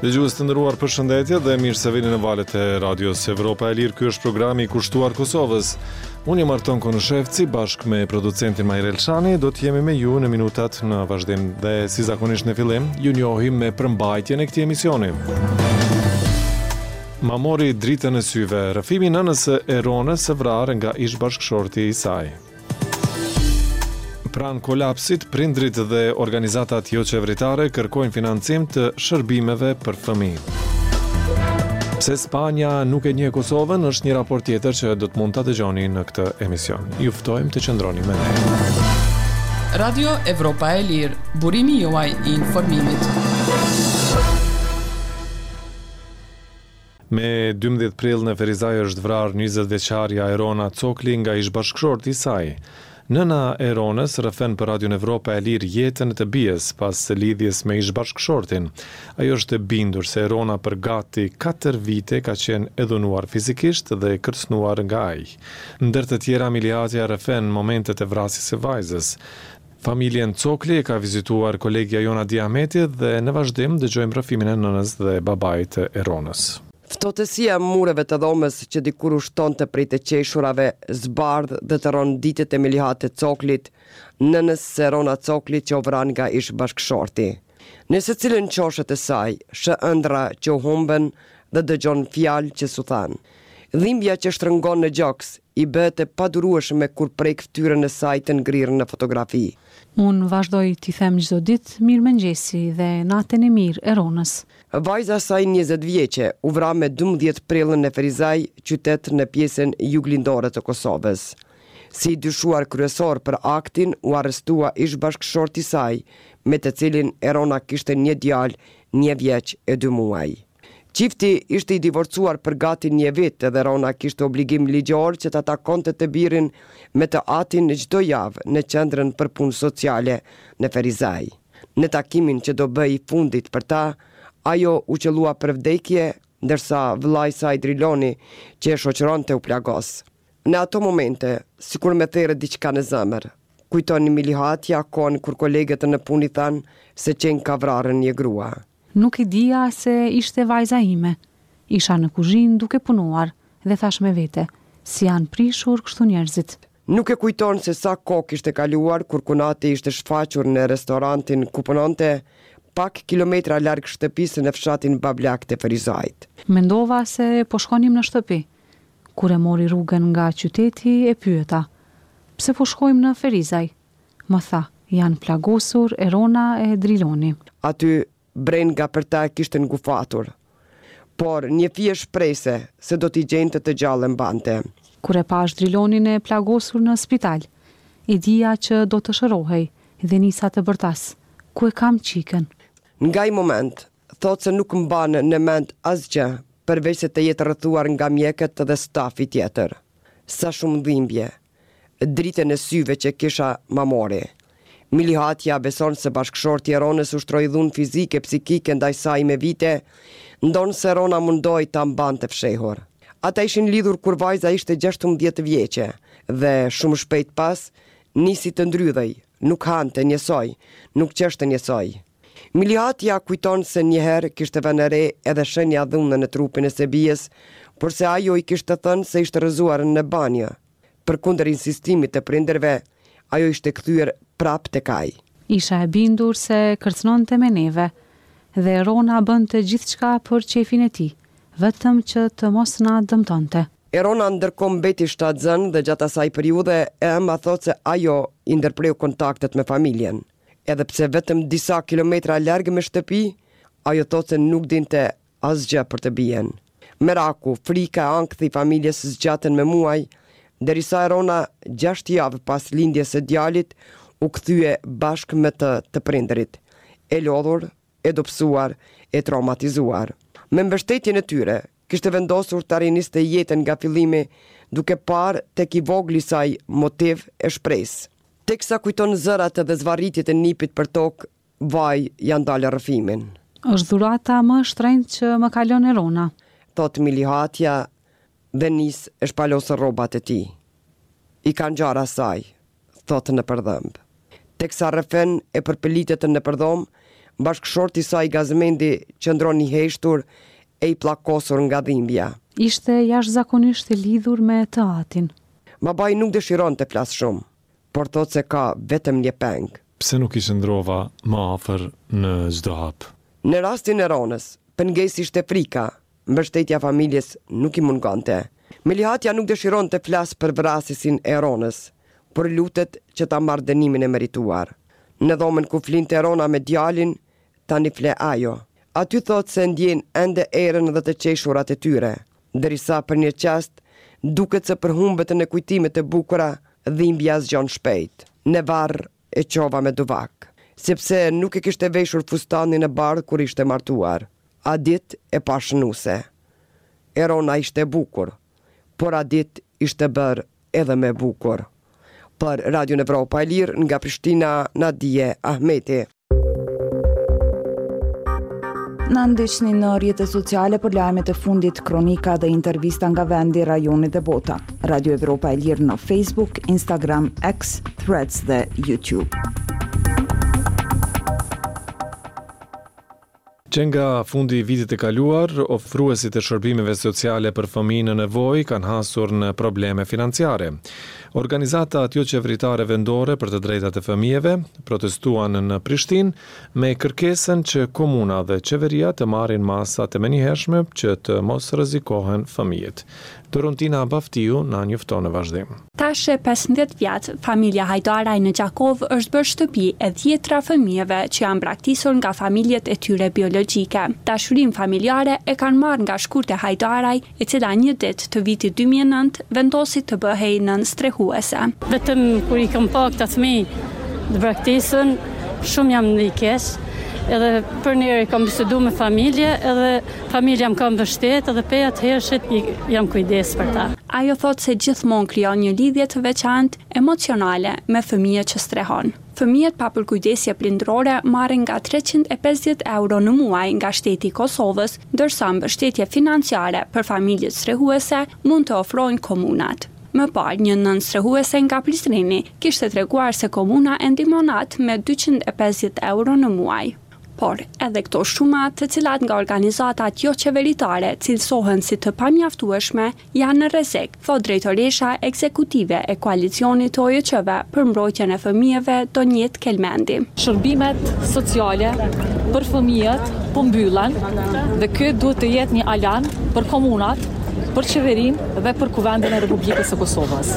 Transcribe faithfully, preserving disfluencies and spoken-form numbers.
Dëgjues të nderuar, përshëndetje dhe mirë se vini në valët e Radios Evropa e Lirë. Ky është programi i kushtuar Kosovës. Unë jam Arton Konushevci, bashkë me producentin Mahir Elshani, do të jemi me ju në minutat në vazhdim dhe si zakonisht në fillim, ju njohim me përmbajtjen e këtij emisioni. Ma mori dritën e syve, rrëfimi i nënës së Eronës së vrarë nga ish bashkëshorti i saj. Pranë kolapsit, prindrit dhe organizatat joqeveritare kërkojnë financim të shërbimeve për fëmijë. Pse Spanja nuk e njeh Kosovën është një raport tjetër që do të mund ta dëgjoni në këtë emision. Ju ftojmë të qëndroni me ne. Radio Evropa e Lirë, burimi juaj i informimit. Me dymbëdhjetë prill në Ferizaj është vrarë njëzet vjeçarja Erona Cokli nga ish bashkëshorti i saj. Nëna e Eronës rrëfen për Radion Evropa e Lirë jetën e të bijës pas lidhjes me ish bashkëshortin. Ajo është e bindur se Erona për gati katër vite ka qenë e dhunuar fizikisht dhe e kërcënuar nga ai. Ndër të tjera, Milihatja rrëfen momentet e vrasjes së vajzës. Familjen Cokli e ka vizituar kolegja Jona Diameti dhe në vazhdim dëgjojmë rrëfimin e nënës dhe babait të Eronës. Ftohtësia e mureve të dhomës që dikur ushtonte prej të qeshurave, zbardh dhe të rron ditët e Milihate Coklit, nënës së Erona Coklit që u vra nga ish bashkëshorti. Në secilën qoshe të saj, sheh ëndra që u humbën dhe dëgjon fjalë që s'u thanë. Dhimbja që shtrëngon në gjoks i bëhet e padurueshme kur prek fytyrën e saj të ngrirë në fotografi. Unë vazhdoj t'i them çdo ditë mirëmëngjesi dhe natën e mirë Eronës. Vajza e saj njëzet vjeçe u vra me dymbëdhjetë prill në Ferizaj, qytet në pjesën juglindore të Kosovës. Si i dyshuar kryesor për aktin u arrestua ish bashkëshorti i saj, me të cilin Erona kishte një djalë një vjeç e dy muaj. Çifti ishte i divorcuar për gati një vit dhe Erona kishte obligim ligjor që ta takonte të birin me të atin çdo javë në qendrën për punë sociale në Ferizaj. Në takimin që do bëhej i fundit për ta, ajo u qëllua për vdekje, ndërsa vëllai i saj Driloni, që e shoqëronte, u plagos. Në ato momente, sikur me therë diçka në zemër, kujton Milihatja kohën kur kolegët në punë i thanë se qenë ka vrarë një grua. Nuk e dija se ishte vajza ime. Isha në kuzhinë duke punuar dhe thash me vete, si janë prishur kështu njerëzit. Nuk e kujton se sa kohë kishte kaluar kur kunati ishte shfaqur në restorantin ku punonte, pak kilometra larg shtëpisë në fshatin Bablak të Ferizajt. Mendova se po shkonim në shtëpi. Kur e mori rrugën nga qyteti e pyeta, pse po shkojmë në Ferizaj? Më tha, janë plagosur Erona e Driloni. Aty brenga për ta e kishte ngufatur, por një fije shprese se do t'i gjente të gjallë e mbante. Kur e pash Drilonin e plagosur në spital, e dija që do të shërohej dhe nisa të bërtas, ku e kam qikën? Nga ai moment, thotë se nuk mban në mend asgjë, përveç se të jetë rrethuar nga mjekët dhe stafi tjetër. Sa shumë dhimbje, dritën e syve që kisha ma mori. Milihatja beson se bashkëshorti i Eronës ushtroi dhunë fizike, psikike ndaj saj me vite, ndonëse Erona mundoi ta mbante fshehur. Ata ishin lidhur kur vajza ishte gjashtëmbëdhjetë vjeçe dhe shumë shpejt pas nisi të ndrydhej, nuk hante njësoj, nuk qeshte njësoj. Milihatja kujton se një herë kishte vënë re edhe shenja dhune në trupin e Sebijes, por se ajo i kishte thënë se ishte rrëzuar në banjë. Përkundër insistimit të prindërve, ajo ishte kthyer prapë tek ai. Isha e bindur se kërcënonte me neve dhe Erona bënte gjithçka për qefin e tij, vetëm që të mos na dëmtonte. Erona ndërkohë mbeti shtatzënë dhe gjatë asaj periudhe e ëma thotë se ajo i ndërpreu kontaktet me familjen. Edhe pse vetëm disa kilometra larg me shtëpi, ajo thotë se nuk dinte asgjë për të bien. Meraku, frika e ankthi i familjes zgjatën me muaj, derisa Erona gjashtë javë pas lindjes së djalit u kthye bashkë me të të prindërit, e lodhur, e dobësuar, e traumatizuar. Me mbështetjen e tyre, kishte vendosur ta riniste jetën nga fillimi, duke parë tek i vogli i saj motiv e shpresë. Teksa kujton zërat dhe zvarritjet e nipit për tokë, vaj janë dalë rrëfimin. Është dhurata më e shtrenjtë që më ka lënë Erona, thot Milihatja dhe nis e shpalos rrobat e tij. I ka ngjarë asaj, thot në përdhëmb. Teksa rrëfen e përpëlitet në përdhom, Bashkëshorti i saj Gazmendi qëndron i heshtur e i pllakosur nga dhimbja. Ishte jashtëzakonisht e lidhur me të atin. Babai nuk dëshiron të flasë shumë, por thotë se ka vetëm një peng. Pse nuk i qëndrova më afër në çdo hap? Në rastin e Ronës, pengesë ishte frika, mbështetja e familjes nuk i mungonte. Melihatja nuk dëshiron të flasë për vrasësin e Ronës, por lutet që ta marrë dënimin e merituar. Në dhomën ku flinte Rona me djalin, tani fle ajo. Aty thotë se ndjen ende erën dhe të qeshurat e tyre, derisa për një çast duket se përhumbet në kujtimet e bukura, dhimbja zgjon shpejt. Në varr e çova me duvak, sepse nuk e kishte veshur fustanin e bardhë kur ishte martuar. Atë ditë e pashë nuse. Erona ishte e bukur, por atë ditë ishte bërë edhe më e bukur. Për Radion Evropa e Lirë nga Prishtina, Nadie Ahmeti. Na ndiqni në rrjetet sociale për lajmet e fundit, kronika dhe intervista nga vendi, rajoni dhe bota. Radio Evropa e Lirë në Facebook, Instagram, X, Threads dhe YouTube. Që nga fundi i vitit të kaluar, ofruesit e shërbimeve sociale për fëmijë në nevojë kanë hasur në probleme financiare. Organizatat joqeveritare vendore për të drejtat e fëmijëve protestuan në Prishtinë me kërkesën që komuna dhe qeveria të marrin masa të menjëhershme që të mos rrezikohen fëmijët. Doruntina Baftiu na njofton në vazhdim. Tash e pesëmbëdhjetë vjet, familja Hajdaraj në Gjakovë është bërë shtëpi e dhjetëra fëmijëve që janë braktisur nga familjet e tyre biologjike. Dashurinë familjare e kanë marrë nga Shkurte Hajdaraj, e cila një ditë të vitit dy mijë e nëntë vendosi të bëhej nënë strehuese. Vetëm kur i kam pa këta fëmijë të braktisën, shumë jam ndi keq. Edhe përnjëherë kam bisedu me familje, edhe familja më ka mbështet, edhe pej atëhershit jam kujdes për ta. Ajo thotë se gjithmonë krijon një lidhje të veçantë emocionale me fëmijët që strehon. Fëmijët pa përkujdesje prindërore marrin nga treqind e pesëdhjetë euro në muaj nga shteti i Kosovës, ndërsa mbështetje financiare për familjet strehuese mund të ofrojnë komunat. Më parë, një nënë strehuese nga Prizreni kishte treguar se komuna e ndihmon atë me dyqind e pesëdhjetë euro në muaj. Por, edhe këto shuma, të cilat nga organizatat joqeveritare cilësohen si të pamjaftueshme, janë në rrezik, thotë drejtoresha ekzekutive e Koalicionit të O J Q-ve për mbrojtjen e fëmijëve, Donjetë Kelmendi. Shërbimet sociale për fëmijët po mbyllen dhe ky duhet të jetë një alarm për komunat, për qeverinë dhe për Kuvendin e Republikës së Kosovës.